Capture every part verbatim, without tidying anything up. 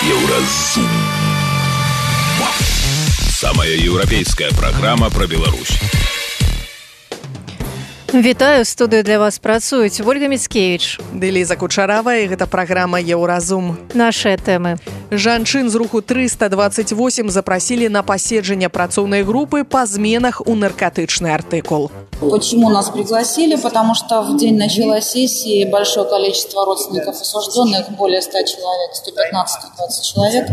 Еўразум. Самая еўрапейская праграма пра Беларусь. Вітаю, студыю для вас працуюць Ольга Міцкевіч ды Ліза Кучарава, і гэта праграма Еўразум. Нашыя тэмы. Жанчын з руху триста двадцать восемь запросили на поседжение працоўной группы по зменах у наркотычный артикул. Почему нас пригласили? Потому что в день начала сессии большое количество родственников осужденных, более ста человек, сто пятнадцать - двадцать человек,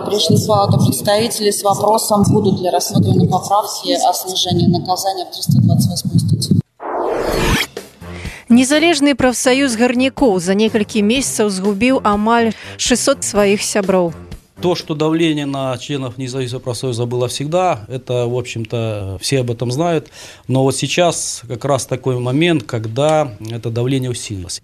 пришли в палату представителей с вопросом, будут ли рассмотрены поправки о снижении наказания в триста двадцать восьмой статье. Незалежны прафсаюз гарнякоў за некалькі месяцаў згубіў амаль шестьсот своих сяброў. То, что давление на членов независимого профсоюза было всегда, это, в общем-то, все об этом знают. Но вот сейчас как раз такой момент, когда это давление усилилось.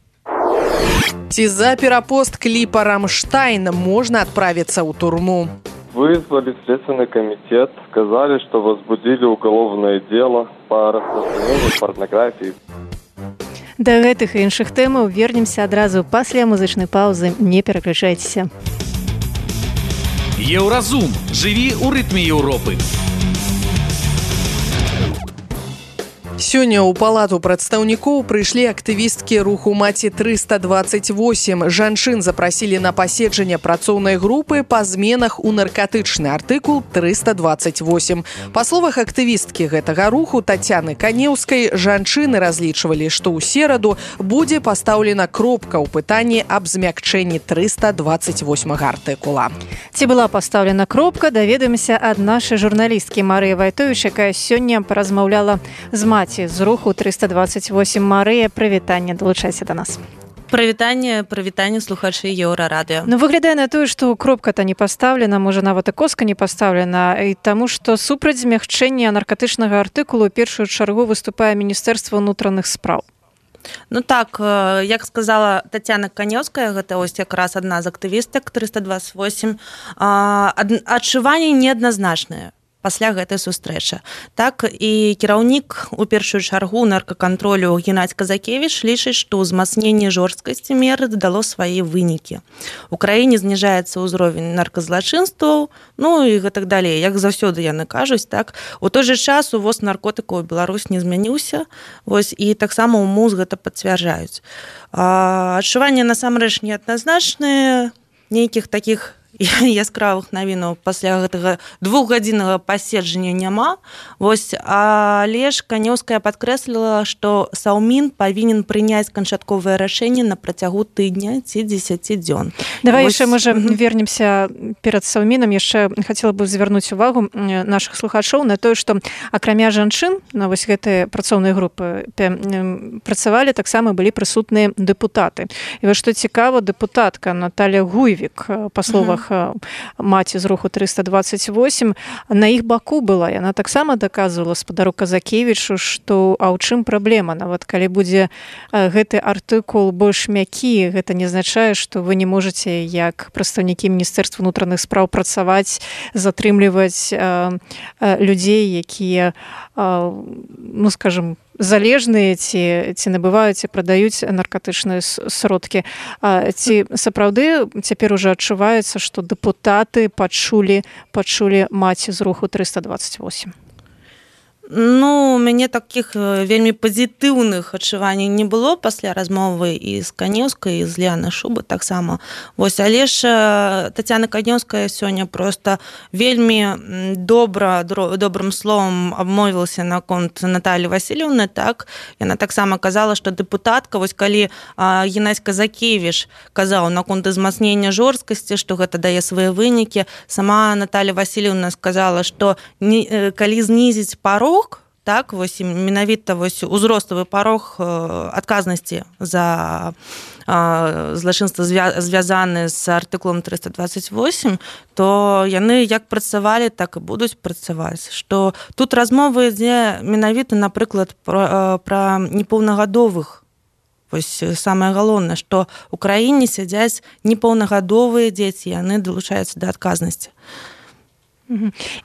Ці за перапост клипа «Рамштайн» можно отправиться в турму. Вызвали Следственный комитет, сказали, что возбудили уголовное дело по распространению порнографии. Да гэтых і іншых тэмаў вернемся адразу пасля музычнай паўзы. Не пераключайцеся. Еўразум. Жыві ў рытме Еўропы. Сёння ў палату прадстаўнікоў прыйшлі актывісткі руху маці триста двадцать восемь. Жанчын запросили на паседжанне працоўнай группы по зменах у наркотычны артыкул триста двадцать восемь. Па словах актывісткі гэтага руху Тацяны Канеўскай, жанчыны разлічвалі, што ў сераду будзе пастаўлена кропка ў пытанні аб змякчэнні триста двадцать восьмага артыкула. Ці была пастаўлена кропка, даведаемся ад нашай журналісткі Марыі Вайтовіч, якая сёння паразмаўляла з маці з руху триста двадцать восемь. Марыя, прывітанне, далучайся да нас. Прывітанне, прывітанне слухачы Еўрарадыё. Ну, выглядае на тое, што кропка-то не пастаўлена, можа, нават і коска не пастаўлена, і таму, што супраць змягчэння наркатычнага артыкулу ў першую чаргу выступае Міністэрства ўнутраных спраў. Ну так, як сказала Тацяна Канеўская, гэта ось якраз адна з актывістак триста двадцать восемь, адчуванні неадназначныя пасля гэтай сустрэчы. Так і кіраўнік у першую чаргу наркакантролю Геннадзь Казакевіч лічыць, што ўзмацненне жорсткасці меры дало свае вынікі. У краіне зніжаецца ўзровень нарказлачынстваў, ну і гэтак далей. Як заўсёды яны кажуць, так. У той жа час увоз наркотыкаў у Беларусь не змяніўся, вось, і таксама ў МУЗ гэта пацвярджаюць. Адчуванні насамрэч неадназначныя, нейкіх такіх яскравых навінаў пасля гэтага двухгадзіннага паседжання няма. Вось, але ж Канеўская падкрэсліла, што Саўмін павінен прыняць канчатковае рашэнне на працягу тыдня ці дзесяці дзён. Давай Вось... яшчэ, можа, mm-hmm. вернемся перад Саўмінам. Яшчэ хацела бы звярнуць увагу нашых слухачоў на тое, што акрамя жанчын на вось гэтай працоўнай групы працавалі, таксама былі прысутныя дэпутаты. І вось што цікава, дэпутатка Наталья Гуйвік, па словах mm-hmm. маці з руху триста двадцать восемь, на іх баку была. Яна таксама даказвала спадару Казакевічу, што а ў чым праблема? Нават калі будзе гэты артыкул больш мякі, гэта не азначае, што вы не можаце як прадстаўнікі Міністэрства ўнутраных спраў працаваць, затрымліваць э, э, людзей, якія, э, ну, скажем, залежныя ці, ці набываюць і прадаюць наркатычныя сродкі. Ці сапраўды цяпер ужо адчуваецца, што дэпутаты пачулі, пачулі маці з руху триста двадцать восемь? Ну, у мяне такіх вельмі пазітыўных адчуванняў не было пасля размовы і з Канеўскай, і з Леанай Шубы таксама. Вось, але ж Тацяна Канеўская сёння проста вельмі добра, добрым словам абмовілася наконт Наталі Васильевны, так. Яна таксама казала, што дэпутатка, вось калі Геннадзь Казакевіч казаў наконт узмацнення жорсткасці, што гэта дае свае вынікі, сама Наталья Васильевна сказала, што не, калі знізіць парог, так, вось, менавіта вось узроставы парог адказнасці за злачынства звязаны з артыкулам триста двадцать восемь, то яны як працавалі, так і будуць працаваць. Што тут размова ідзе менавіта, напрыклад, пра, пра непаўнагадовых. Вось самае галоўнае, што ў краіне сядзяць непаўнагадовыя дзеці, яны далучаюцца да адказнасці.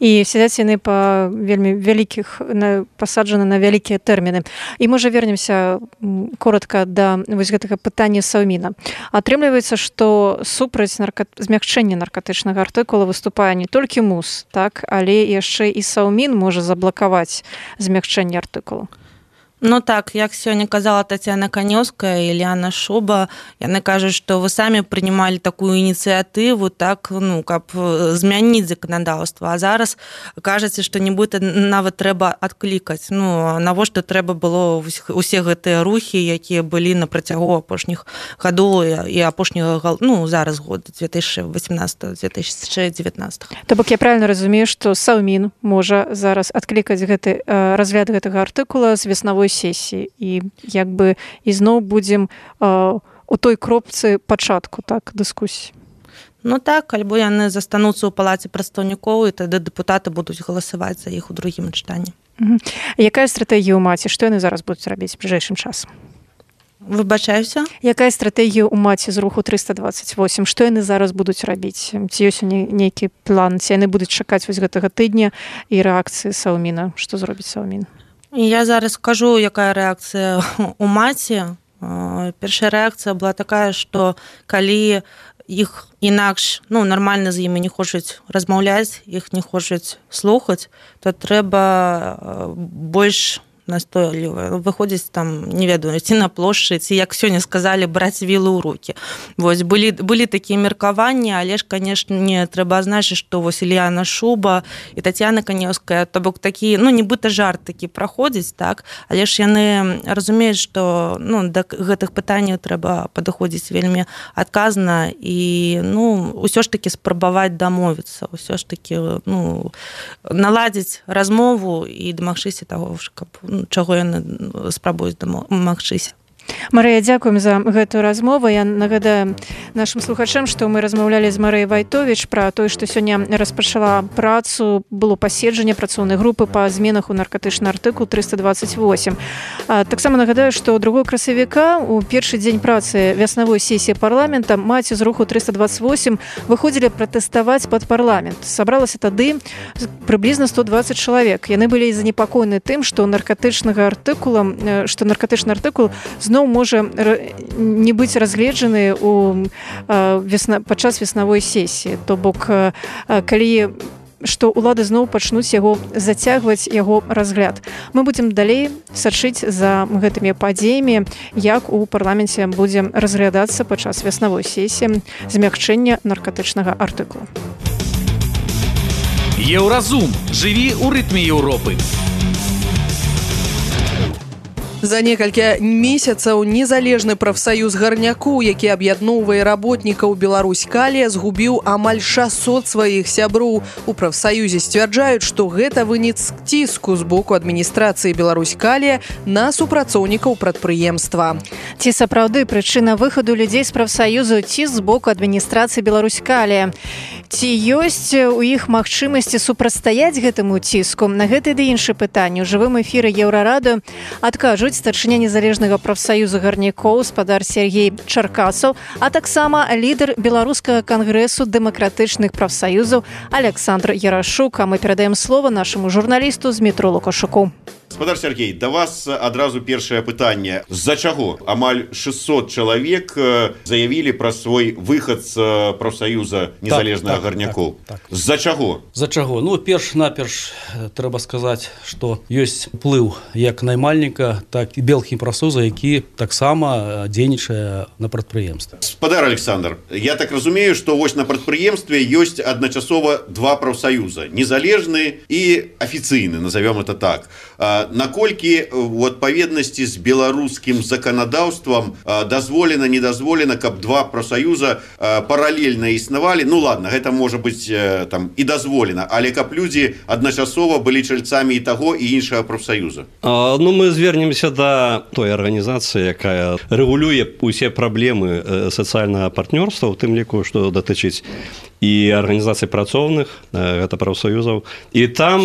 І сядзяць яны па вельмі вялікіх, пасаджаны на вялікія тэрміны. І можа вернемся коротка да вось гэтага пытання Саўміна. Атрымліваецца, што супраць нарка... змягчэння наркатычнага артыкула выступае не толькі МУС, так, але яшчэ і Саўмін можа заблакаваць змягчэнне артыкулу. Ну так, як сёння казала Тацяна Канёўская і Ляна Шуба, яны кажуць, што вы самі прынималі такую ініцыятыву, так, ну, каб змяніць заканадаўства, а зараз кажаце, што нібыта нават трэба адклікаць. Ну, навошта трэба было усе гэтыя рухі, якія былі на працягу апошніх гадоў і апошняга, ну, зараз год две тысячи восемнадцатого - две тысячи девятнадцатого. То бок я правильно разумею, што Саўмін можа зараз адклікаць гэты разгляд гэтага артыкула з веснавой сесіі і як бы ізноў будзем э, у той кропцы пачатку, так, дыскусіі. Ну так, альбо яны застануцца ў палаце прадстаўнікоў, і тады дэпутаты будуць галасаваць за іх у другім чытанні. Угу. Якая стратэгія ў маці? Што яны зараз будуць рабіць бліжэйшым часам? Выбачаюся? Якая стратэгія ў маці з руху трыста дваццаць восемь? Што яны зараз будуць рабіць? Ці ёсць нейкі план? Ці яны будуць чакаць вось гэтага тыдня і рэакцыі Саўміна? Што зробіць Саўмін? Я зараз скажу, якая рэакцыя у маці. Першая рэакцыя была такая, што калі іх інакш, ну, нармальна з імі не хочуць размаўляць, іх не хочуць слухаць, то трэба больш настойліва выходзіць там, не ведаю, ці на плошчы, ці, як сёння сказалі, браць вілы ў рукі. Вось, былі, былі такія меркаванні, але ж, канешне, трэба азначыць, што вось Ільяна Шуба і Тацяна Канёўская, то бок такі, ну, нібыта жарт такі праходзіць, так, але ж яны разумеюць, што, ну, да гэтых пытанняў трэба падыходзіць вельмі адказна і, ну, усё ж такі спрабаваць дамовіцца, усё ж такі, ну, наладзіць размову і дамагчыся таго, каб чаго яны спрабуюць дамагчыся. Марыя, дзякуем за гэтую размову. Я нагадаю нашым слухачам, што мы размаўлялі з Марыяй Вайтовіч пра тое, што сёння распачала працу, было паседжанне працоўнай групы па зменах у наркатычны артыкул трыста дваццаць восемь. Таксама нагадаю, што другога красавіка у першы дзень працы вяснавой сесіі парламента маці з руху трыста дваццаць восемь выходзілі пратэставаць пад парламент. Сабралася тады прыблізна сто дваццаць чалавек. Яны былі занепакоены тым, што наркатычнага артыкула, што наркатычны артыкул зноў можа не быць разгледжаны у весна, падчас веснавой сесіі. То бок, калі што ўлады зноў пачнуць яго зацягваць яго разгляд. Мы будзем далей сачыць за гэтымі падзеямі, як у парламенце будзе разглядацца падчас веснавой сесіі змягчэння наркатычнага артыкула. Еўразум. Жыві ў рытме Еўропы. За некалькі месяцаў незалежны прафсаюз гарнякоў, які аб'ядноўвае работнікаў Беларусь-Калія, згубіў амаль шасот сваіх сяброў. У прафсаюзе сцвярджаюць, што гэта вынік ціску з боку адміністрацыі Беларусь-Калія на супрацоўнікаў прадпрыемства. Ці сапраўды прычына выхаду людзей з прафсаюзу ціск з боку адміністрацыі Беларусь-Калія? Ці ёсць у іх магчымасці супрацьстаяць гэтаму ціску? На гэта ды іншыя пытанні ў жывым эфіры Еўрарадыё адкажуць старшыня незалежнага прафсаюза гарнякоў спадар Сергей Чаркасаў, а таксама лідар беларускага кангрэсу дэмакратычных прафсаюзаў Александр Ярашук. А мы перадаем слова нашаму журналісту Змітру Лукашуку. Спадар Сергей, да вас адразу першае пытанне. З-за чаго амаль шестьсот чалавек заявілі пра свой выхад з прафсаюза незалежнага так, гарнякоў? Так, так. З-за чаго? З-за чаго? Ну, перш-наперш трэба сказаць, што ёсць уплыў як наймальніка, так і белых прафсаюза, які таксама дзейнічае на прадпрыемстве. Спадар Александр, я так разумею, што вось на прадпрыемстве ёсць адначасова два прафсаюза, незалежны і афіцыйны, назовём это так. Наколькі у адпаведнасці з беларускім заканадаўствам дазволена, не дазволена, каб два прафсаюза паралельна існавалі? Ну ладно, гэта можа быць там і дазволена, але каб людзі адначасова былі чальцамі і таго і іншага прафсаюза. А, ну мы звернемся да той арганізацыі, якая рэгулюе усе праблемы сацыяльнага партнёрства, у тым ліку, што датычыць і арганізацый працоўных, гэта прафсаюзаў. І там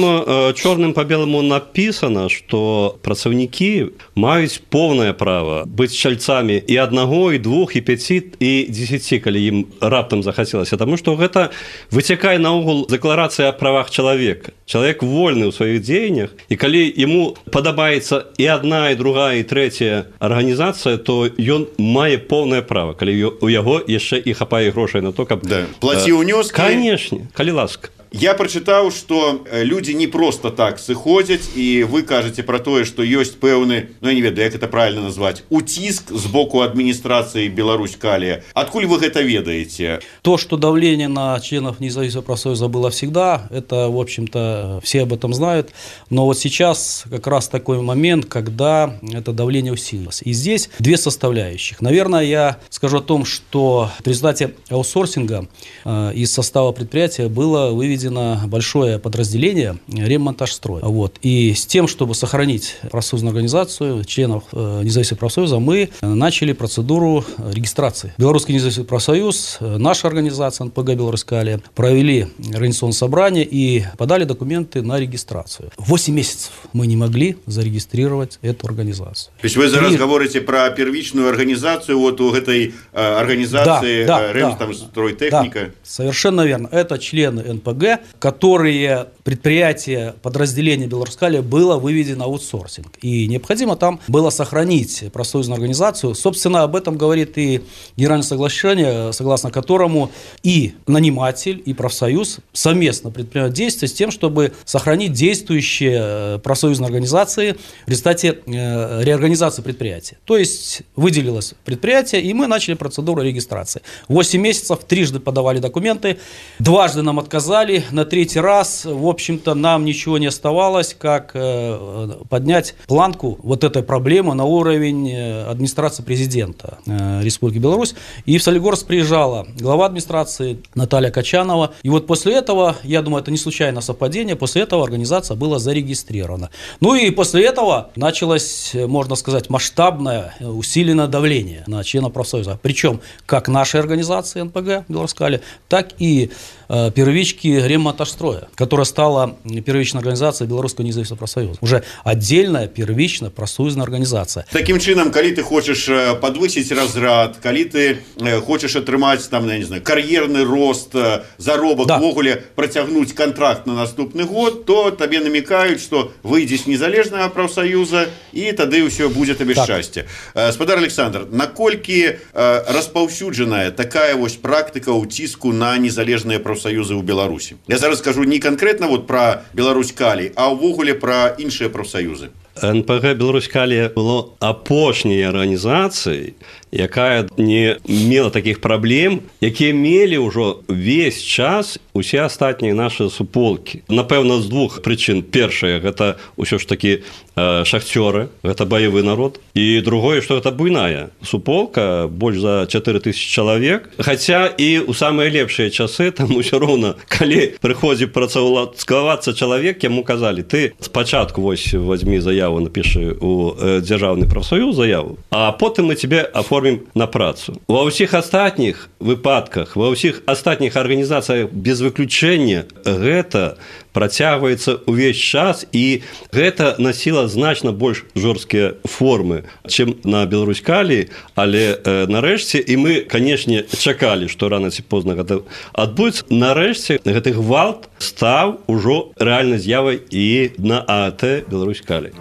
чорным па беламу напісана, што працаўнікі маюць поўнае права быць чальцамі і аднаго, і двух, і пяці, і дзесяці, калі ім раптам захацелася. Таму што гэта гэта выцякае наогул дэкларацыя о правах чалавека. Чалавек вольны ў сваіх дзеяннях, і калі яму падабаецца і адна, і другая, і трэцяя арганізацыя, то ён мае поўнае права, калі у яго яшчэ і хапае грошай на то, каб... Да. Плаці ўнёскі. Канешне, калі ласка. Я прачытаў, што людзі не проста так сыходзяць, і вы кажаце пра тое, што ёсць пэўны, ну я не ведаю, як это правильно назваць, уціск з боку адміністрацыі Беларусь-Калия. Адкуль вы гэта ведаеце? То, что давление на членов независимого профсоюза было всегда, это, в общем-то, все об этом знают. Но вот сейчас как раз такой момент, когда это давление усилилось. И здесь две составляющих. Наверное, я скажу о том, что в результате аутсорсинга э, из состава предприятия было выведено большое подразделение ремонтажстроя. Вот. И с тем, чтобы сохранить профсоюзную организацию, членов э, независимого профсоюза, мы начали процедуру регистрации. Белорусский независимый профсоюз, наша организация эн пэ гэ Беларусь-Калия провели организационное собрание и подали документы на регистрацию. Восемь месяцев мы не могли зарегистрировать эту организацию. То есть вы зараз И... говорите про первичную организацию вот у этой э, организации да, да, Ремстройтехника? Да, совершенно верно. Это члены эн пэ гэ, которые предприятие, подразделение Беларусь-Калия было выведено в аутсорсинг. И необходимо там было сохранить профсоюзную организацию. Собственно, об этом говорит и генеральное соглашение, согласно которому и наниматель, и профсоюз совместно предпринимают действия с тем, чтобы сохранить действующие профсоюзные организации в результате реорганизации предприятия. То есть выделилось предприятие, и мы начали процедуру регистрации. восемь месяцев, трижды подавали документы, дважды нам отказали, на третий раз, в общем-то, нам ничего не оставалось, как э, поднять планку вот этой проблемы на уровень администрации президента э, Республики Беларусь. И в Солигорск приезжала глава администрации Наталья Качанова. И вот после этого, я думаю, это не случайное совпадение, после этого организация была зарегистрирована. Ну и после этого началось, можно сказать, масштабное, усиленное давление на членов профсоюза. Причем как нашей организации эн пэ гэ Беларусь-Калия, так и э, первички ремонтажстроя, которая стала первичной организацией Белорусского независимого профсоюза. Уже отдельная первичная профсоюзная организация. Таким чином, коли ты хочешь подвысить разряд, коли ты хочешь атрымаць там, я не знаю, кар'ерный рост, заробок, да. ввогуле протягнуть контракт на наступный год, то тебе намекают, что выйди с незалежного профсоюза, и тады все будет тебе счастье. Спадар Александр, наколькі распаўсюджаная такая вось практика уціску на незалежные профсоюзы ў Беларусі? Я зараз скажу не конкретно вот про Беларусь-Калий, а ўвогуле про іншыя профсоюзы. эн пэ гэ Беларусь-Калия было апошняй арганізацыяй, якая не мела такіх праблем, якія мелі ўжо весь час усе астатнія нашы суполкі. Напэўна, з двух прычын. Першае, гэта ўсё ж такі э, шахцёры, гэта баявы народ. І другое, што гэта буйная суполка, больш за чатыры тысячы чалавек. Хаця і ў самыя лепшыя часы, там усё роўна, калі прыходзі працаўладкавацца чалавек, яму казалі, ты спачатку вось возьми заяву, напиши у э, дзяржаўны прафсаюз заяву, а потым мы тебе оформим на працу. Ва ўсіх астатніх выпадках, ва ўсіх астатніх арганізацыях без выключэння гэта працягваецца ўвесь час, і гэта насіла значна больш жорсткія формы, чым на Беларусь-Калии, але э, нарэшце, і мы, канешне, чакалі, што рана ці позна гэта адбудзецца, нарэшце гэты гвалт стаў ужо рэальнай з'явай і на а а тэ Беларусь-Калий.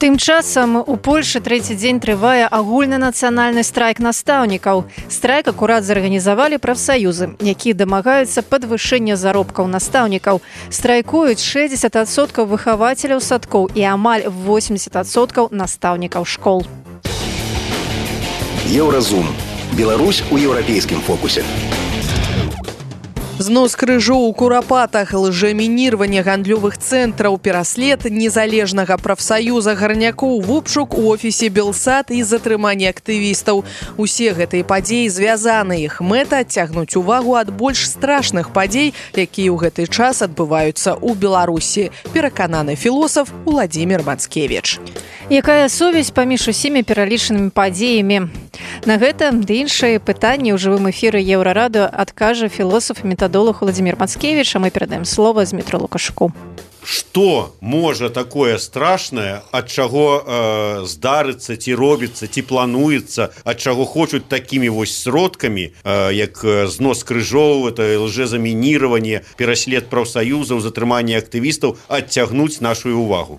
Тым часам у Польшы трэці дзень трывае агульнанацыянальны страйк настаўнікаў. Страйк акурат зарганізавалі прафсаюзы, якія дамагаюцца падвышэння заробкаў настаўнікаў. Страйкуюць шэсцьдзесят адсоткаў выхавацеляў садкоў і амаль восемьдесят адсоткаў настаўнікаў школ. Еўразум. Беларусь у еўрапейскім фокусе. Знос крыжоў у курапатах, лжамінірванне гандлёвых цэнтраў, пераслед незалежнага прафсаюза гарнякоў, вобшук у офісе Белсат і затрыманне актывістаў. Усе гэтыя падзеі звязаны. Іх мэта адцягнуць увагу ад больш страшных падзей, якія ў гэты час адбываюцца ў Беларусі. Перакананы філосаф Уладзімір Мацкевіч. Якая сувязь паміж усімі пералічанымі падзеямі? На гэта ды іншыя пытанні ў жывым эфіры Еўрарадыё адкажа філосаф і метадолог Уладзімір Мацкевіч, а мы перадаем слова Змітру Лукашуку. што можа такое страшнае, ад чаго э, здарыцца, ці робіцца, ці плануецца, ад чаго хочуць такімі вось сродкамі, э, як знос крыжоў, это лжэзамініраванне, пераслед прафсаюзаў, затрыманне актывістаў, адцягнуць нашу увагу.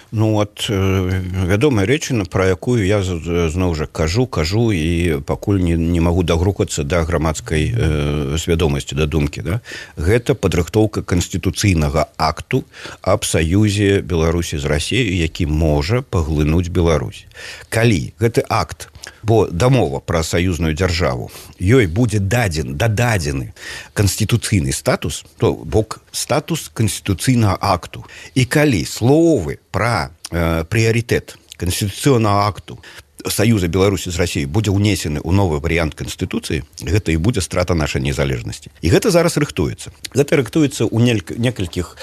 Ну от вядомая рэчына, пра якую я зноў жа кажу кажу і пакуль не, не магу дагрукацца да грамадскай э, свядомасці, да думкі, да? Гэта падрыхтоўка канстытуцыйнага акту аб саюзе Беларусі з Расіяй, які можа паглынуць Беларусь. Калі гэты акт, бо дамова пра саюзную дзяржаву, ёй будзе дадзен дададзены канстытуцыйны статус, то бок статус канстытуцыйнага акту. І калі словы пра э, прыярытэт канстытуцыйнага акту Саюза Беларусі з Расіяй будзе ўнесены ў новы варыянт Канстытуцыі, гэта і будзе страта нашай незалежнасці. І гэта зараз рыхтуецца. Гэта рыхтуецца ў некалькіх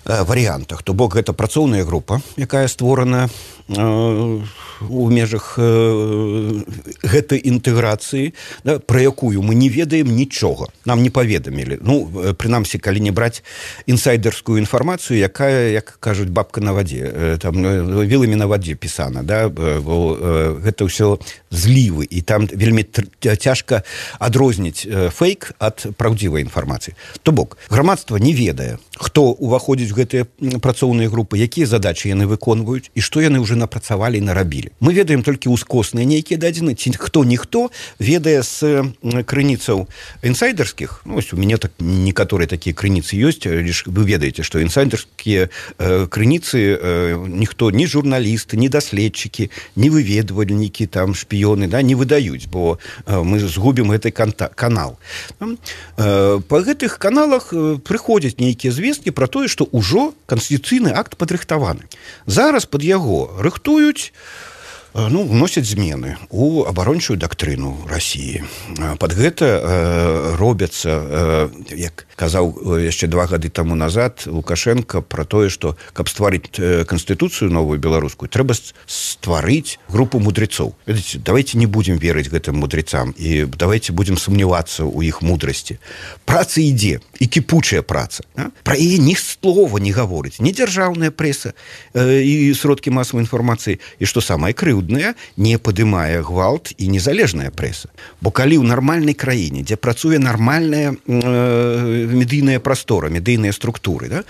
э, варыянтах. То бок гэта працоўная група, якая створана э, у межах э, гэтай інтэграцыі, да, пра якую мы не ведаем нічога. Нам не паведамілі. Ну, прынамсі, калі не браць інсайдерскую інфармацыю, якая, як кажуць, бабка на вадзе, э, там, віламі на вадзе пісана, да, бо э, гэта ўсё злівы, і там вельмі цяжка адрозніць фейк ад праўдзівай інфармацыі. То бок, грамадства не ведае, хто ўваходзіць у гэтыя працоўныя групы, якія задачы яны выконваюць і што яны ўжо напрацавалі і нарабілі. Мы ведаем толькі ўскосныя нейкія дадзены, ці хто-ніхто ведае з крыніцаў інсайдерскіх. Ну, ось у мяне так некаторыя такія крыніцы ёсць, лишь вы ведаеце, што інсайдерскія э, крыніцы э, ніхто, ні журналісты, ні даследчыкі, ні выведвальнікі, там, шпіёны, да, не выдаюць, бо э, мы згубім гэты канал. Э, па гэтых каналах э, прыходзяць нейкія звесткі пра тое, што ўжо канстытуцыйны акт падрыхтаваны. Зараз пад яго рыхтуюць, ну, вносяць змены у абарончую дактрыну Расіі. Пад гэта э, робяцца, э, як казаў яшчэ два гады таму назад Лукашенко пра тое, што каб стварыць канстытуцыю новую беларускую, трэба стварыць групу мудрецоў. Ведаеце, давайте не будзем верыць гэтым мудрецам і давайте будзем сумнявацца ў іх мудрасці. Праца ідзе, і кіпучая праца. А? Пра яе ні слова не гаворыць, ні дзяржаўная прэса э, і сродкі масавай інфармацыі, і што самае крыўднае, не падымае гвалт і незалежная прэса. Бо калі ў нармальнай краіне, дзе працуе нармальная э, медыйная прастора, медыйныя структуры, да,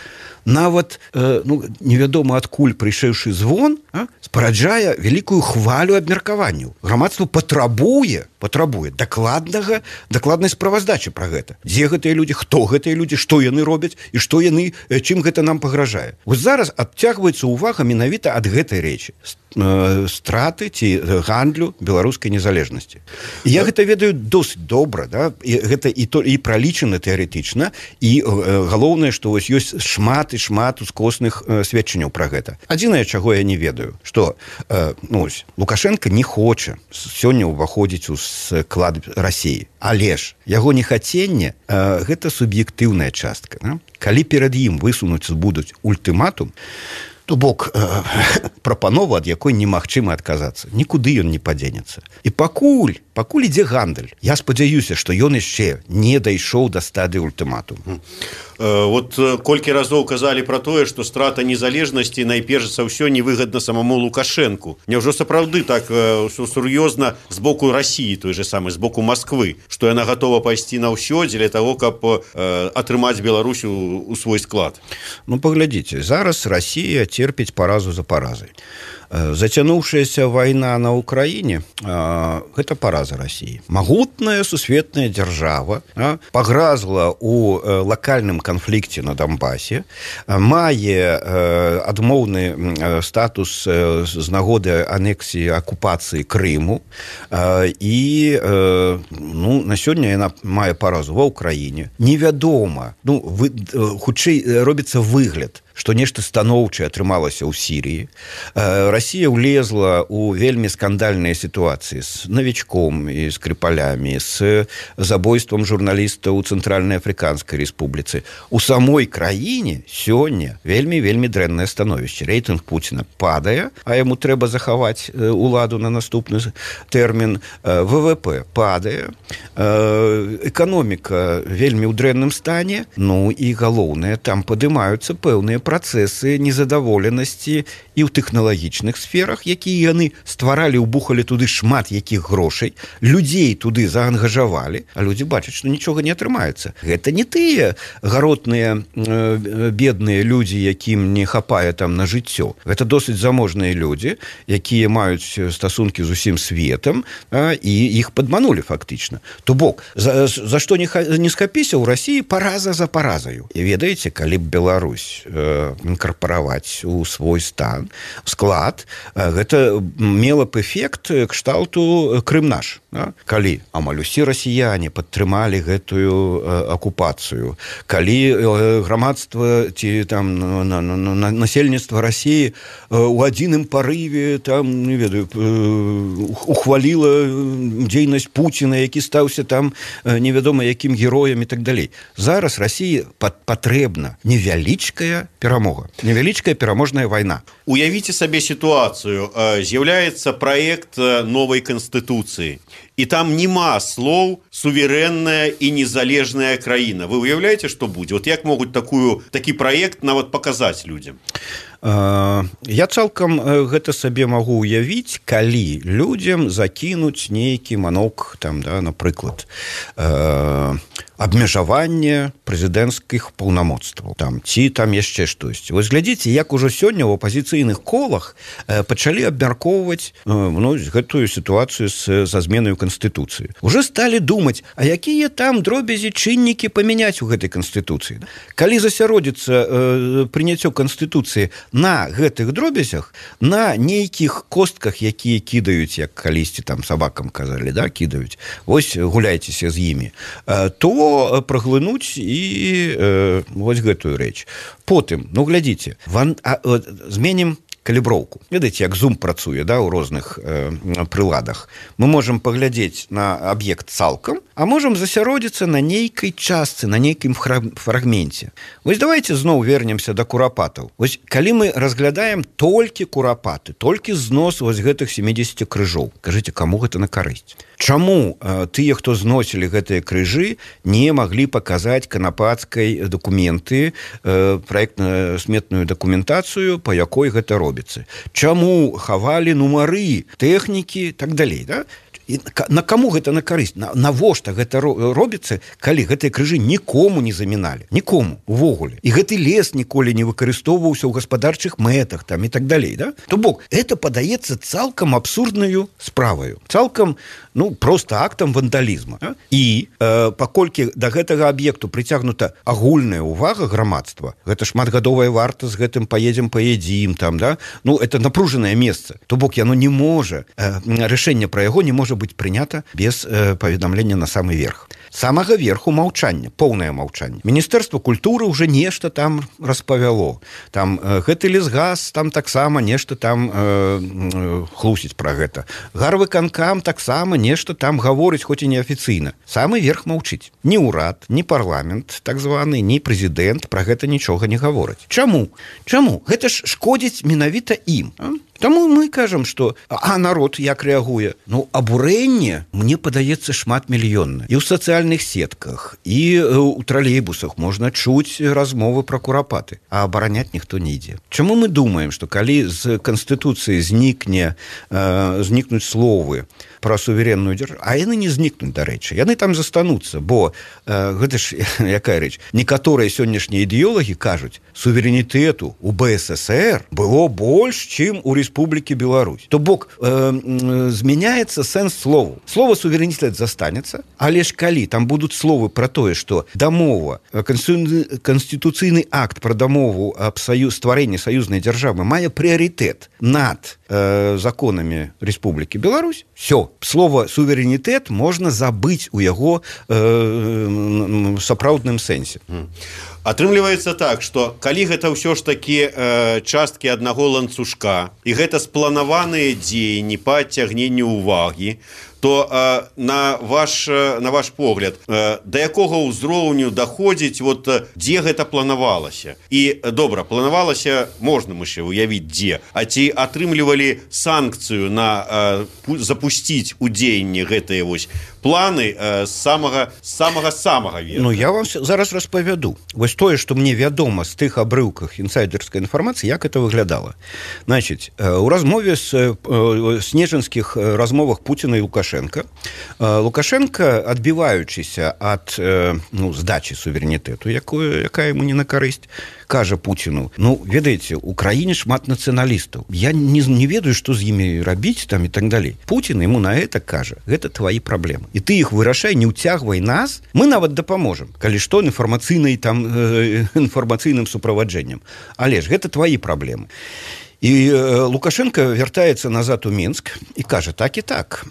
нават э, ну, невядома адкуль прыйшэўшы звон, а, спараджае вялікую хвалю абмеркаванняў. Грамадства патрабуе, патрабуе дакладнага, дакладнай справаздачы пра гэта. Дзе гэтыя людзі, хто гэтыя людзі, што яны робяць і што яны, чым гэта нам пагражае. Вось зараз адцягваецца ўвага менавіта ад гэтай рэчы. Страты ці гандлю беларускай незалежнасці. І я гэта ведаю досыць добра, да? І гэта і то і пралічана тэарэтычна, і э, галоўнае, што вось ёсць шмат і шмат ускосных э, сведчанняў пра гэта. Адзінае, чаго я не ведаю, што э, ну, ось, Лукашенко не хоча сёння ўваходзіць у склад Расіі, але ж яго нехаценне э, гэта суб'ектыўная частка. Да? Калі перад ім высунуць будуць ультыматум, то бок э, прапанова, ад якой немагчыма адказацца. Нікуды ён не падзенецца. І пакуль, пакуль ідзе гандаль, я спадзяюся, што ён яшчэ не дайшоў да стадыі ультыматуму. Вот колькі разоў казалі пра тое, што страта незалежнасці найперш за ўсё невыгадна самому Лукашэнку. Няўжо сапраўды так сур'ёзна з боку Расіі, той же самы, з боку Масквы, што яна гатова пайсці на ўсё дзеля таго, каб э, атрымаць Беларусь у, у свой склад? Ну, паглядзіце, зараз Расія церпіць паразу за паразай. Зацянуўшаяся вайна на ўкраіне э, гэта параза Расіі. Магутная сусветная дзяржава э, пагразла ў э, лакальным канфлікце на Донбасе, э, мае э, адмоўны э, статус э, з нагоды анексіі акупацыі Крыму э, і э, ну, на сёння яна мае паразу ва ўкраіне. Невядома, ну, вы, э, хутчэй робіцца выгляд, што нешта станоўчае атрымалася ў Сірыі. Расія ўлезла ў вельмі скандальныя сітуацыі з навічком і скрыпалямі, з забойствам журналіста ў Цэнтральнай Афрыканскай Рэспубліцы. У самой краіне сёння вельмі-вельмі дрэннае становішча. Рэйтынг Пуціна падае, а яму трэба захаваць уладу на наступны тэрмін. ВВП падае, эканоміка вельмі ў дрэнным стане, ну і галоўнае, там падымаюцца пэўныя працэсы незадаволенасці і ў тэхналагічных сферах, якія яны стваралі, убухалі туды шмат якіх грошай, людзей туды заангажавалі, а людзі бачаць, што нічога не атрымаецца. Гэта не тыя гаротныя э, бедныя людзі, якім не хапае там на жыццё. Гэта досыць заможныя людзі, якія маюць стасункі з усім светам, а, і іх падманулі фактычна. То бок, за, за што не, не схапіся ў Расіі параза за паразаю. І ведаеце, калі б Беларусь э, інкарпараваць у свой стан, склад, э, гэта мела б эфект кшталту Крым наш. Да? Калі амаль усе расіяне падтрымалі гэтую э, акупацыю, калі э, грамадства ці там на, на, на, насельніцтва Расіі э, у адзіным парыве там, не ведаю, э, ухваліла дзейнасць Пуціна, які стаўся там э, невядома якім героем і так далей. Зараз Расіі патрэбна невялічкая перамога, невялічкая пераможная вайна. Уявіце сабе сітуацыю. З'яўляецца праект новай канстытуцыі. І там нема слоў суверэнная і незалежная краіна. Вы уяўляеце, што будзе? Вот як могуць такую, такі праект нават паказаць людзям? Я цалкам гэта сабе магу уявіць, калі людзям закінуць нейкі манок, там, да, напрыклад, абмежаванне прэзідэнцкіх паўнамоцтваў, там, ці там яшчэ штосьці. Вось глядзіце, як ужо сёння ў апазіцыйных колах пачалі абмяркоўваць ну, гэтую сітуацыю з, за зменаю Канстытуцыі. Уже сталі думаць, а якія там дробязі чыннікі памяняць у гэтай Канстытуцыі. Калі засяродзіцца э, прыняццё Канстытуцыі на гэтых дробязях, на нейкіх костках, якія кідаюць, як калісьці там сабакам казалі, да, кідаюць, вось гуляйцеся з імі, э, то праглынуць і э, вось гэтую рэч. Потым, ну глядзіце, ван, а, а, зменім каліброўку. Ведаеце, як зум працуе, да, у розных э, прыладах. Мы можам паглядзець на аб'ект цалкам, а можам засяродзіцца на нейкай частцы, на нейкім фрагменце. Вось давайте зноў вернемся да курапатаў. Вось калі мы разглядаем толькі курапаты, толькі знос вось гэтых семидесяти крыжоў, кажыце, каму гэта на карысць? Чаму э, тыя, хто зносілі гэтыя крыжы, не маглі паказаць канапацкай дакументы, э, праектна-сметную дакументацыю, па якой гэта робіцца? Чаму хавалі нумары, тэхнікі, так далей, да? І на каму гэта на карысць? На, навошта гэта робіцца, калі гэтыя крыжы нікому не заміналі? Нікому, увогуле. І гэты лес ніколі не выкарыстоўваўся ў гаспадарчых мэтах, там, і так далей, да? То бок, это падаецца цалкам абсурднаю справаю. Цалкам, ну, проста актам вандалізма. Да? І э, паколькі да гэтага аб'екту прыцягнута агульная ўвага грамадства, гэта шматгадовая варта, з гэтым паедзем, паедзім, там, да? Ну, это напружанае месца. То бок, яно не можа, э, рашэнне пра яго не можа быць прынята без э, паведамлення на самы верх. Самага верху маўчанне, поўнае маўчанне. Міністэрства культуры ўжо нешта там распавяло. Там э, гэты лесгаз там таксама нешта там э, э, хлусіць пра гэта. Гарвыканкам таксама нешта там гаворыць, хоць і неафіцыйна. Самы верх маўчыць. Ні ўрад, ні парламент, так званы, ні прэзідэнт пра гэта нічога не гавораць. Чаму? Чаму? Гэта ж шкодзіць менавіта ім. А? Таму мы кажам, што а народ як рэагуе? Ну, абурэнне, мне падаецца, шмат мільённа. І ў сацыяльных сетках, і ў тралейбусах можна чуць размовы пра курапаты, а абараняць ніхто не ідзе. Чаму мы думаем, што калі з Канстытуцыі знікне, э, знікнуць словы пра суверенную дзяржаву, а яны не знікнуць, дарэчы, яны там застануцца, бо э, гэта ж якая рэч? Некаторыя сённяшнія ідэолагі кажуць, суверэнітэту у бэ эс эсэр было больш, чым у Республики Беларусь. То бок э, э, змяняецца сэнс слову. Слово суверэнітэт застанецца, але ж калі там будуць словы пра тое, што дамова, канстытуцыйны акт пра дамову аб саюз, стварэнні саюзнай дзяржавы мае прыярытэт над э, законамі Республики Беларусь, все, слово суверэнітэт можна забыць у яго э, сапраўдным сэнсе. Атрымліваецца так, што калі гэта ўсё ж такі э, часткі аднаго ланцужка, і гэта спланаваныя дзеянні па адцягненню ўвагі, то э, на ваш на ваш погляд э, да якога ўзроўню даходзіць вот дзе гэта планавалася і добра планавалася можна мы ще уявіць дзе а ці атрымлівалі санкцыю на э, запусціць у дзеянне гэтыя вось планы э, самага самага самага верха. Ну я вам зараз распавяду вось тое што мне вядома з тых абрыўках інсайдерскай інфармацыі як это выглядала. Значит, у размове з снежанскіх размовах Пуціна і Лукашенко Лукашенко, адбіваючыся ад ну, здачы суверэнітэту, якую якая яму не на карысць, кажа Пуціну: ну ведаеце, у краіне шмат нацыяналістаў, я не, не ведаю, што з імі рабіць там і так далей. Пуцін яму на это кажа: гэта твои праблемы і ты іх вырашай, не ўцягвай нас, мы нават дапаможам, калі што інфармацыйнай там э, інфармацыйным суправаджэннем, але ж гэта твои праблемы. І Лукашенко вяртаецца назад у Мінск і кажа: так і так,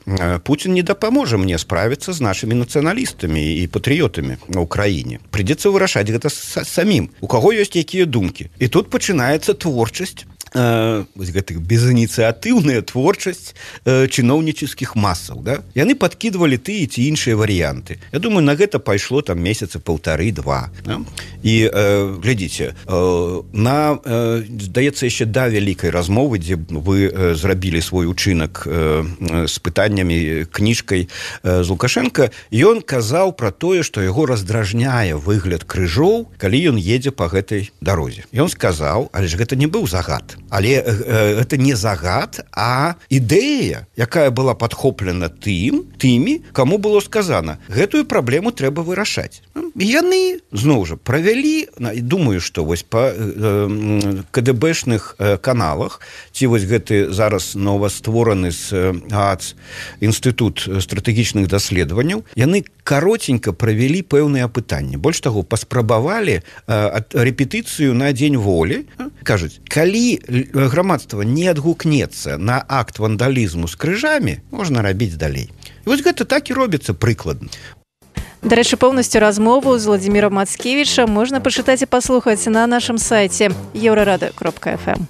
Пуцін не дапаможа мне справіцца з нашымі нацыяналістамі і патрыётамі на Украіне. Прыйдзецца вырашаць гэта самім, у каго ёсць якія думкі. І тут пачынаецца творчасць, вось гэтых безыніцыятыўная творчасць э, чыноўнічыцкіх масаў, да? Яны падкідвалі тыя ці іншыя варыянты. Я думаю, на гэта пайшло там месяца паўтары-два. Да? І э, глядзіце, э, на э, здаецца яшчэ да вялікай размовы, дзе вы э, зрабілі свой учынак э, з пытаннямі, кніжкай э, з Лукашенко, ён казаў пра тое, што яго раздражняе выгляд крыжоў, калі ён едзе па гэтай дарозе. Ён сказаў, але ж гэта не быў загад. Але э, это не загад, а ідэя, якая была падхоплена тым, тымі, каму было сказана: гэтую праблему трэба вырашаць. І яны, зноў жа, правялі, думаю, што вось па э, КДБшных э, каналах, ці вось гэты зараз новаствораны з ААЦ Інстытут стратэгічных даследаванняў, яны каротенька правялі пэўныя апытанні. Больш таго, паспрабавалі э, рэпетыцыю на дзень волі. Кажуць, калі грамадства не адгукнецца на акт вандалізму з крыжамі, можна рабіць далей. І вось гэта так і робіцца прыкладна. Дарэчы, поўнасцю размову з Владзімірам Мацкевічам можна пачытаць і паслухаць на нашым сайце еўрарада кропка эф эм.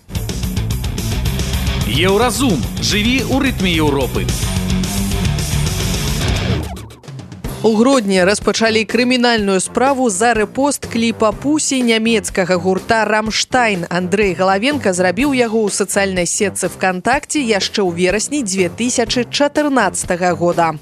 Еўразум. Жыві ў рытме Еўропы. У Гродні распачалі крымінальную справу за рэпост кліпа «Пусі» нямецкага гурта «Рамштайн». Андрэй Галавенка зрабіў яго ў сацыяльнай сетцы ВКонтакте яшчэ ў верасні дзве тысячы чатырнаццатага года.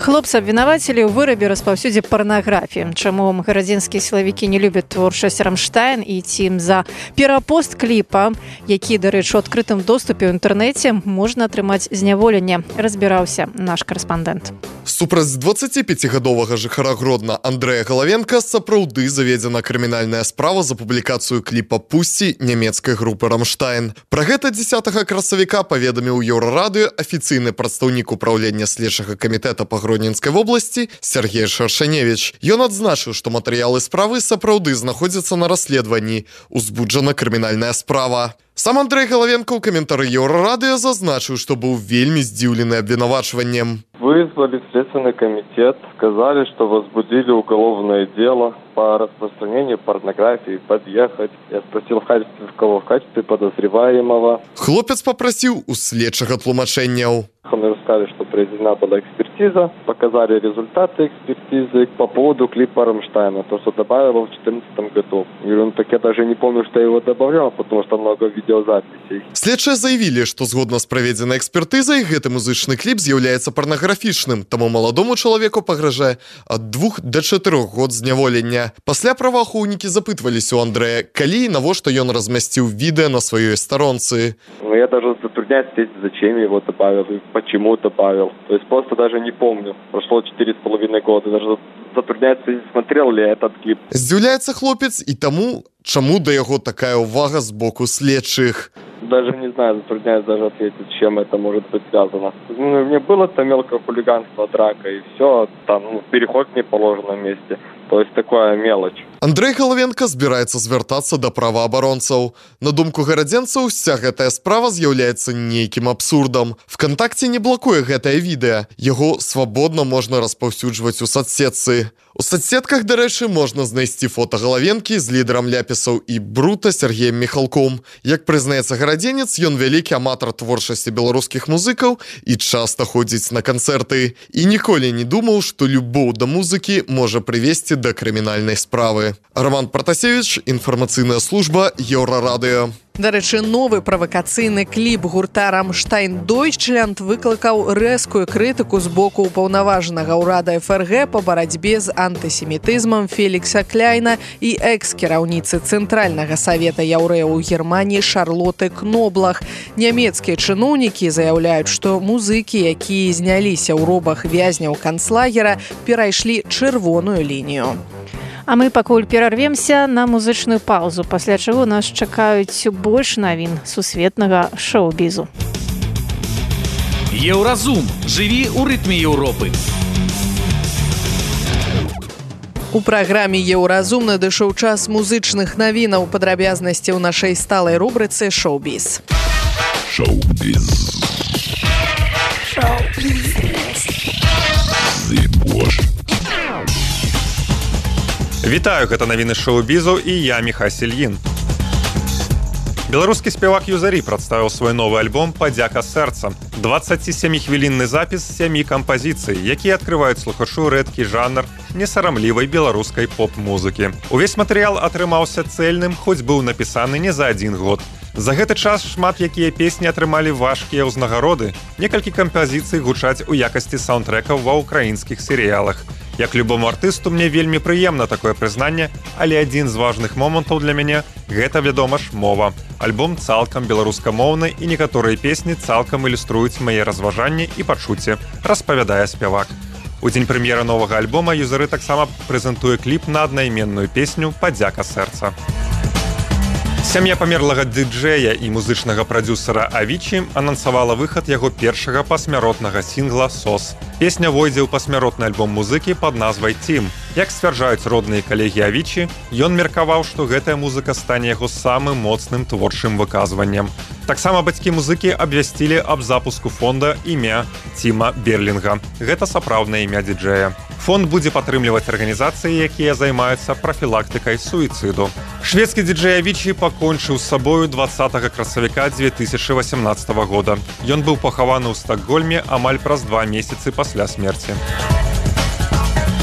Хлопца абвінавацілі ў вырабе распаўсюдзе парнаграфіі. Чаму гарадзенскія сілавікі не любяць творчасць «Рамштайн» і ці за перапост кліпа, які, дарэчы, у адкрытым доступе ў інтэрнэце, можна атрымаць зняволенне, разбіраўся наш карэспандэнт. Супраць дваццаціпяцігадовага жыхара Гродна Андрэя Галавенка сапраўды заведзена крымінальная справа за публікацыю кліпа «Пусі» нямецкай групы «Рамштайн». Пра гэта дзесятага красавіка паведаміў Еўрарадыё афіцыйны прадстаўнік управлення следчага камітэта па Гродненскай вобласці Сергей Шаршаневич. Ён адзначыў, што матэрыялы справы сапраўды знаходзяцца на расследаванні. Узбуджана крымінальная справа. Сам Андрэй Галавенка ў каментары Еўрарадыё зазначыў, што быў вельмі здзіўлены абвінавачваннем. Вызвали Следственный комитет, сказали, что возбудили уголовное дело по распространению порнографии, подъехать. Я спросил, в качестве кого, в качестве подозреваемого. Хлопец попросил у следчага тлумачэнняў. Мы сказали, что произведена была экспертиза, показали результаты экспертизы по поводу клипа «Рамштайна», то, что добавил в две тысячи четырнадцатом году. И он так я даже не помню, что я его добавлял, потому что много видеозаписей. Следчыя заявілі, што згодна з праведзенай экспертызай гэты музычны кліп з'яўляецца парнаграфічным, таму маладому чалавеку пагражае ад двух да чатырох год зняволення. Пасля праваахоўнікі запытваліся у Андрэя, калі і навошта ён размясціў відэа на сваёй старонцы. Ну, я даже затрудняюсь ответить, зачем я его добавил и почему добавил. То есть просто даже не помню. Прошло четыре с половиной года. Даже затрудняется, смотрел ли я этот клип. Здзіўляецца хлопец і таму, чаму да яго такая ўвага з боку следчых. Даже не знаю, затрудняюсь даже ответить, с чем это может быть связано. Ну, мне было это мелкое хулиганство, драка и все, там, ну, переход в неположенном месте. То есть такая мелочь. Андрэй Галавенка збіраецца звяртацца да праваабаронцаў. На думку гарадзенцаў, уся гэтая справа з'яўляецца нейкім абсурдам. ВКонтакте не блокуе гэтае відэа. Яго свабодна можна распаўсюджваць у соцсетцы. У соцсетках, дарэчы, можна знайсці фота Галавенкі з лідарам ляпісаў і брута Сергеем Михалком. Як прызнаецца гарадзенец, ён вялікі аматар творчасці беларускіх музыкаў і часта ходзіць на канцэрты. І ніколі не думаў, што любоў да музыкі можа прывесці да крымінальнай справы. Роман Протасевич, інфармацыйная служба Еўрарадыё. Дарэчы, новы правакацыйны кліп гурта «Рамштайн Дойчлянд» выклікаў рэзкую крытыку з боку ўпаўнаважанага ўрада эф эр гэ па барацьбе з антысемітызмам Фелікса Кляйна і экс-кіраўніцы Цэнтральнага савета яўрэяў у Германіі Шарлоты Кноблах. Нямецкія чыноўнікі заяўляюць, што музыкі, якія зняліся ў робах вязняў канцлагера, перайшлі чырвоную лінію. А мы пакуль перарвемся на музычную паузу, пасля чаго нас чакаюць больш навін сусветнага шоу-бізу. Еўразум. Жыві ў рытме Еўропы. У праграме «Еўразум» надышоў час музычных навінаў, падрабязнасці ў нашай сталай рубрыцы «Шоу-біз». Шоу-біз. Шоу-біз. Вітаю, гэта навіны шоу-бізу і я, Міха Сельін. Беларускі спевак Юзарі прадставіў свой новы альбом «Падзяка сэрца». дваццацісяміхвілінны запіс сямі кампазіцый, якія адкрываюць слухачу рэдкі жанр несарамлівай беларускай поп-музыкі. Увесь матэрыял атрымаўся цэльным, хоць быў напісаны не за адзін год. За гэты час шмат якія песні атрымалі важкія ўзнагароды. Некалькі кампазіцый гучаць у якасці саундтрэкаў ва ўкраінскіх серыялах. Як любому артысту, мне вельмі прыемна такое прызнанне, але адзін з важных момантаў для мяне – гэта, вядома ж, мова. Альбом цалкам беларускамоўны і некаторыя песні цалкам ілюструюць мае разважанні і пачуцці, распавядае спявак. У дзень прэм'еры новага альбома Юзары таксама прэзентуе кліп на аднайменную песню «Падзяка сэрца». Сям'я памерлага ды-джэя і музычнага прадзюсара Авічі анансавала выхад яго першага пасмяротнага сінгла «Сос». Песня войдзе ў пасмяротны альбом музыкі пад назвай «Тім». Як сцвярджаюць родныя калегі Авічі, ён меркаваў, што гэтая музыка стане яго самым моцным творчым выказваннем. Таксама бацькі музыкі абвясцілі аб запуску фонда імя Тіма Берлінга. Гэта сапраўднае імя ді-джэя. Фонд будзе падтрымліваць арганізацыі, якія займаюцца прафілактыкай суіцыду. Шведскі ді-джэй Авічі пакончыў з сабою дваццатага красавіка дзве тысячы васямнаццатага года. Ён быў пахаваны ў Стакгольме амаль праз два месяцы пасля смерці.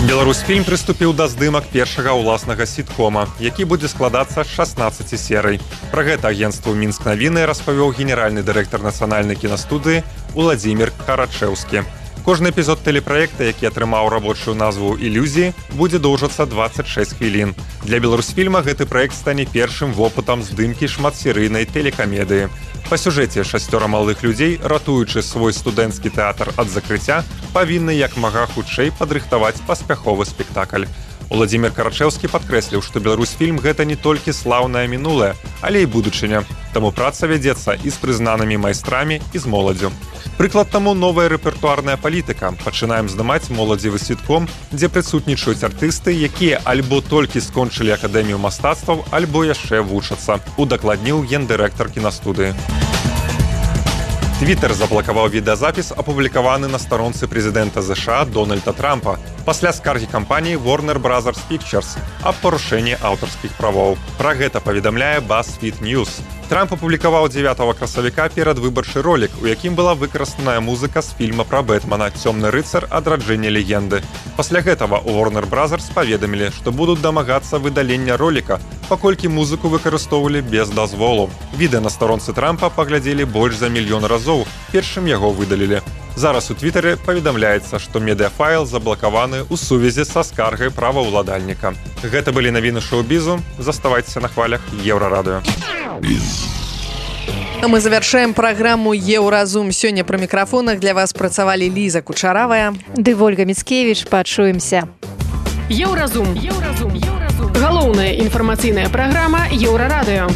Беларусьфільм прыступіў да здымак першага ўласнага сіткома, які будзе складацца з шаснаццаці серый. Пра гэта агенцтву «Мінск навіны» распавёў генеральны дырэктар нацыянальнай кінастудыі Уладзімір Карачэўскі. Кожны эпізод тэлепраекта, які атрымаў рабочую назву «Ілюзіі», будзе доўжыцца дваццаць шэсць хвілін. Для Беларусьфільма гэты праект стане першым вопытам здымкі шматсерыйнай тэлекамедыі. Па сюжэце шасцёра малых людзей, ратуючы свой студэнцкі тэатр ад закрыцця, павінны як мага хутчэй падрыхтаваць паспяховы спектакль. Уладзімір Карачэўскі падкрэсліў, што Беларусьфільм гэта не толькі слаўнае мінулае, але і будучыня. Таму праца вядзецца і з прызнанымі майстрамі, і з моладзю. Прыклад таму новая рэпертуарная палітыка. Пачынаем здымаць моладзевы сітком, дзе прысутнічаюць артысты, якія альбо толькі скончылі акадэмію мастацтваў, альбо яшчэ вучацца, удакладніў гендырэктар кінастудыі. Твиттер заблакаваў відэазапіс, апублікаваны на старонцы прэзідэнта ЗША Дональда Трампа пасля скаргі кампаніі Warner Brothers Pictures аб парушэнні аўтарскіх правоў. Пра гэта паведамляе BuzzFeed News. Трамп апублікаваў дзевятага красавіка перадвыбарчы ролік, у якім была выкарыстаная музыка з фільма пра Бэтмена «Цёмны рыцар. Адраджэнне легенды». Пасля гэтага у Warner Brothers паведамілі, што будуць дамагацца выдалення роліка, паколькі музыку выкарыстоўвалі без дазволу. Відэа на старонцы Трампа паглядзелі больш за мільён разоў, першым яго выдалілі. Зараз у Твіттере паведамляецца, што медыафайл заблакаваны ў сувязі са скаргай праваўладальніка. Гэта былі навіны шоу-бізу. Заставайцеся на хвалях Еўрарадыё. Мы завяршаем праграму «Еўразум». Сёння пры мікрафонах для вас працавалі Ліза Кучаравая ды Вольга Міцкевіч. Пачуемся. Еўразум. Еўразум. Еўразум. Галоўная інфармацыйная праграма Еўрарадыё.